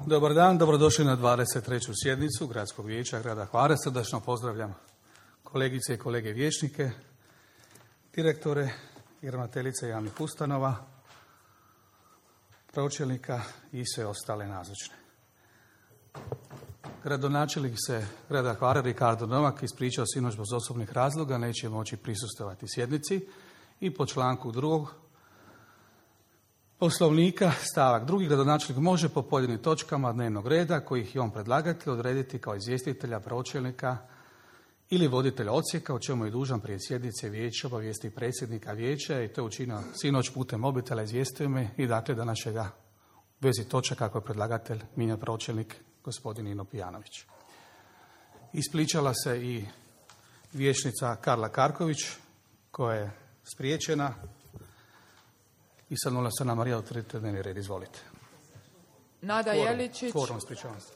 Dobar dan, dobrodošli na 23. sjednicu Gradskog vijeća grada Hvara. Srdačno pozdravljam kolegice i kolege vijećnike, direktore i ravnateljice javnih ustanova, pročelnika i sve ostale nazočne. Gradonačelnik se grada Hvara Ricardo Novak ispričao sinoć zbog osobnih razloga, neće moći prisustvovati sjednici i po članku 2. Poslovnika, stavak 2. gradonačelnik može po pojedinim točkama dnevnog reda, kojih je on predlagatelj, odrediti kao izvjestitelja, pročelnika ili voditelja odsjeka, o čemu je dužan prije sjednice vijeća obavijesti predsjednika vijeća i to je učinio sinoć putem mobitela, izvijestio me i dakle danas će ga u vezi točaka kako je predlagatelj mijenja pročelnik gospodin Nino Pijanović. Ispričala se i vijećnica Karla Karković koja je spriječena. I sad molim se na Marija utvrdite dnevni red, izvolite. Nada Jeličić, ispričavam se.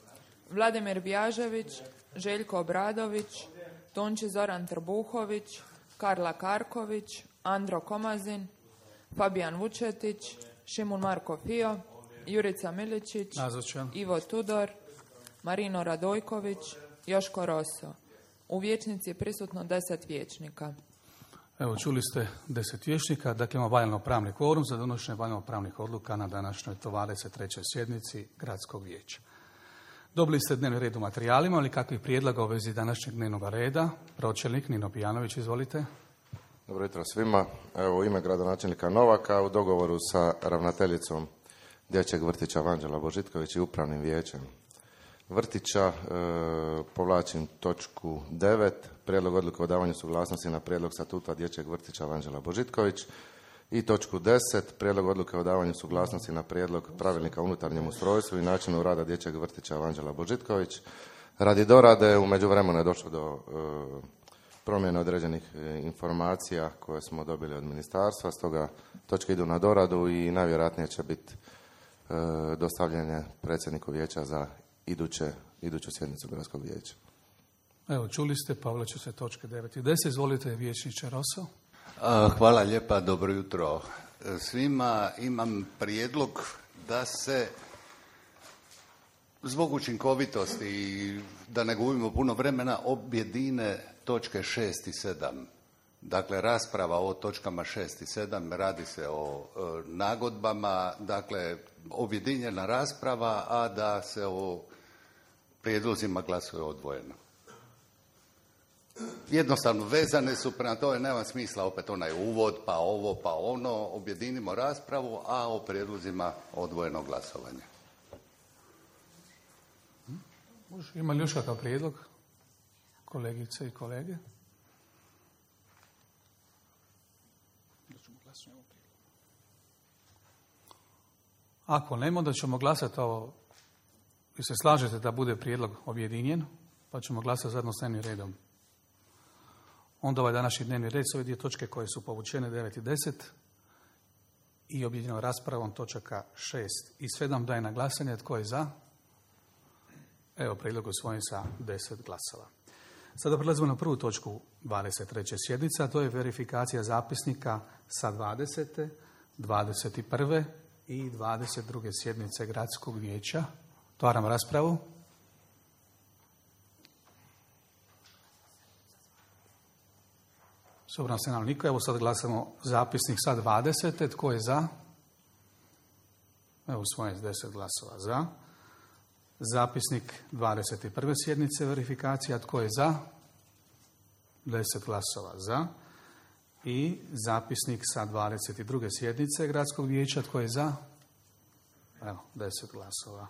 Vladimir Bjažević, Željko Obradović, Tonči Zoran Trbuhović, Karla Karković, Andro Komazin, Fabijan Vučetić, Šimun Marko Fio, Jurica Miličić, nazočan. Ivo Tudor, Marino Radojković, Joško Roso. U vijećnici je prisutno 10 vijećnika. Evo, čuli ste 10 vijećnika, dakle imamo valjano-pravni kvorum za donošenje valjano-pravnih odluka na današnjoj 23. sjednici Gradskog vijeća. Dobili ste dnevni red u materijalima, ali kakvih prijedloga u vezi današnjeg dnevnog reda? Pročelnik Nino Pijanović, izvolite. Dobro jutro svima. Evo, u ime gradonačelnika Novaka u dogovoru sa ravnateljicom dječjeg vrtića Vanđela Božitković i upravnim vijećem vrtića povlačim točku 9, prijedlog odluke o davanju suglasnosti na prijedlog statuta dječjeg vrtića Vanđela Božitković i točku 10, prijedlog odluke o davanju suglasnosti na prijedlog pravilnika o unutarnjem ustrojstvu i načinu rada dječjeg vrtića Vanđela Božitković. Radi dorade u međuvremenu je došlo do promjene određenih informacija koje smo dobili od ministarstva, stoga točke idu na doradu i najvjerojatnije će biti dostavljene predsjedniku vijeća za iduću sjednicu Gradskog vijeća. Evo, čuli ste, povlače se točke 9 i 10. Izvolite, vijećniče Roso. Hvala lijepa, dobro jutro svima. Imam prijedlog da se zbog učinkovitosti i da ne gubimo puno vremena objedine točke 6 i 7. Dakle, rasprava o točkama 6 i 7, radi se o nagodbama, dakle, objedinjena rasprava, a da se o prijedlozima glasuje odvojeno. Jednostavno vezane su, prema tome nema smisla opet onaj uvod, pa ovo, pa ono, objedinimo raspravu, a o prijedlozima odvojeno glasovanje. Ima li još kakav prijedlog, kolegice i kolege? Ako nema, onda ćemo glasati ovo. Vi se slažete da bude prijedlog objedinjen, pa ćemo glasati zajedno s dnevnim redom. Onda ovaj današnji dnevni red su ove dvije točke koje su povučene 9 i 10 i objedinjenom raspravom točaka 6 i 7 daje na glasanje. Tko je za? Evo, prijedlog usvojen sa 10 glasova. Sada prelazimo na prvu točku 23. sjednice, a to je verifikacija zapisnika sa 20., 21. i 22. sjednice Gradskog vijeća. Otvaram raspravu. S obzirom se nam niko, evo sad glasamo zapisnik sa 20. Tko je za? Evo, usvojen s 10 glasova za. Zapisnik 21. sjednice verifikacija. Tko je za? 10 glasova za. I zapisnik sa 22. sjednice Gradskog vijeća. Tko je za? Evo, 10 glasova